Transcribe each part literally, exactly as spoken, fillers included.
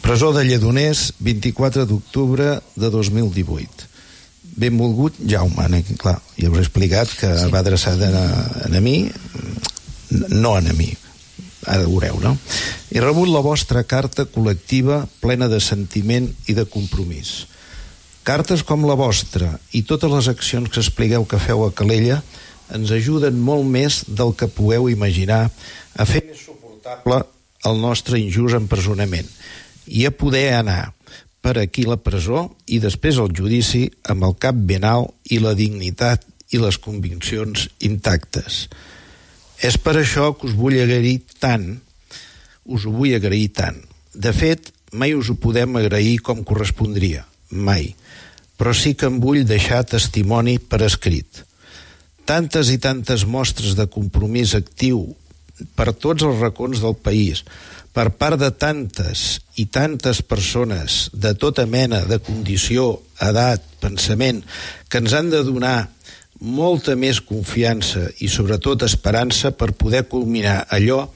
Presó de Lledoners, vint-i-quatre d'octubre de dos mil divuit. Benvolgut Jaume, clar, ja us he explicat que sí. Va adreçat a, a mi, no a mi, ara ho veureu, no? He rebut la vostra carta col·lectiva plena de sentiment i de compromís. Cartes com la vostra i totes les accions que expliqueu que feu a Calella ens ajuden molt més del que pugueu imaginar a fer més suportable el nostre injust empresonament i a poder anar per aquí la presó i després el judici amb el cap ben alt i la dignitat i les conviccions intactes. És per això que us vull agrair tant, us ho vull agrair tant. De fet, mai us ho podem agrair com correspondria, mai, però sí que em vull deixar testimoni per escrit. Tantes i tantes mostres de compromís actiu per tots els racons del país, per part de tantes i tantes persones de tota mena de condició, edat, pensament, que ens han de donar molta més confiança i sobretot esperança per poder culminar allò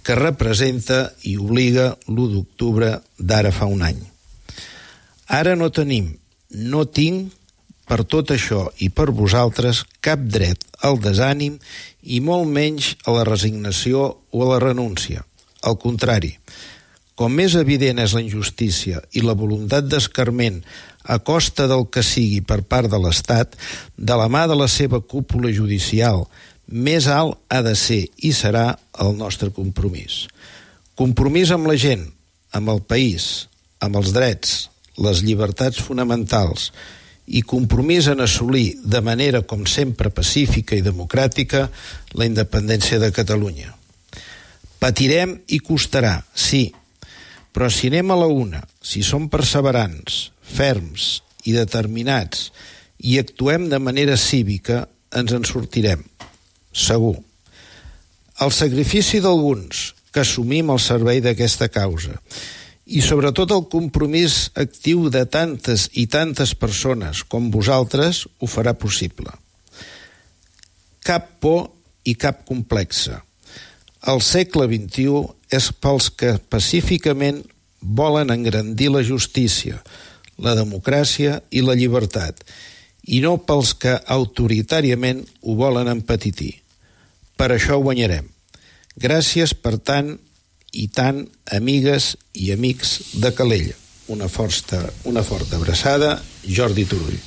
que representa i obliga l'u d'octubre d'ara fa un any. Ara no tenim, no tinc, per tot això i per vosaltres, cap dret al desànim i molt menys a la resignació o a la renúncia. Al contrari, com més evident és la injustícia i la voluntat d'escarment a costa del que sigui per part de l'Estat, de la mà de la seva cúpula judicial, més alt ha de ser i serà el nostre compromís. Compromís amb la gent, amb el país, amb els drets, les llibertats fonamentals i compromís en assolir de manera, com sempre, pacífica i democràtica la independència de Catalunya. Patirem i costarà, sí, però si anem a la una, si som perseverants, ferms i determinats i actuem de manera cívica, ens en sortirem, segur. El sacrifici d'alguns que assumim el servei d'aquesta causa i sobretot el compromís actiu de tantes i tantes persones com vosaltres ho farà possible. Cap por i cap complexa. El segle vint-i-u és pels que pacíficament volen engrandir la justícia, la democràcia i la llibertat, i no pels que autoritàriament ho volen empetitir. Per això guanyarem. Gràcies per tant i tant, amigues i amics de Calella. Una forta, una forta abraçada, Jordi Turull.